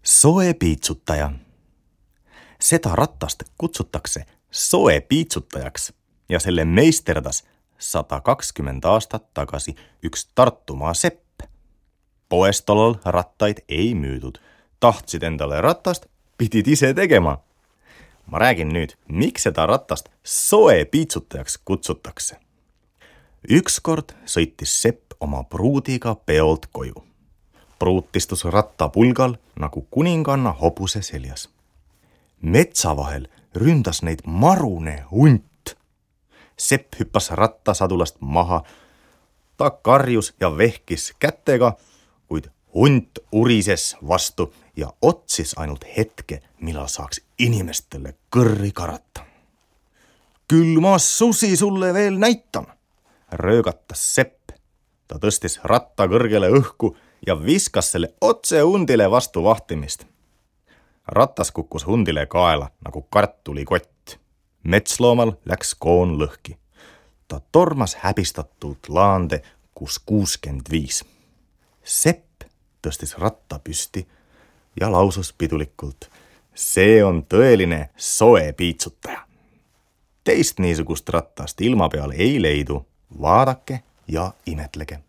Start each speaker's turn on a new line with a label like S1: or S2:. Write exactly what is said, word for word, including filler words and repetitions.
S1: Soepiitsuttaja. Seda rattast kutsutakse soepiitsuttajaksi ja selle meisterdas sada kakskümmend aastat tagasi üks Tartumaa sepp. Poes tollal rattaid ei müüdud. Tahtsid endale ratast, pidid ise tegema. Ma räägin nüüd, miks seda ratast soepiitsutajaks kutsutakse. Ükskord sõitis sepp oma pruudiga peolt koju. Pruut istus rattapulgal nagu kuninganna hobuse seljas. Metsa vahel ründas neid marune hunt. Sepp hüppas rattasadulast maha. Ta karjus ja vehkis kätega, kuid hunt urises vastu ja otsis ainult hetke, millal saaks inimestele kõrri karata. Küll ma susi sulle veel näitan, röögatas sepp. Ta tõstis ratta kõrgele õhku ja viskas selle otse hundile vastu vahtimist. Ratas kukkus hundile kaela nagu kartulikott. Metsloomal läks koon lõhki. Ta tormas häbistatult laande, kus kuuskümmend viis. Sepp tõstis ratta püsti ja lausus pidulikult: see on tõeline soepiitsutaja. Teist niisugust rattast ilma peal ei leidu. Vaadake ja imetlege.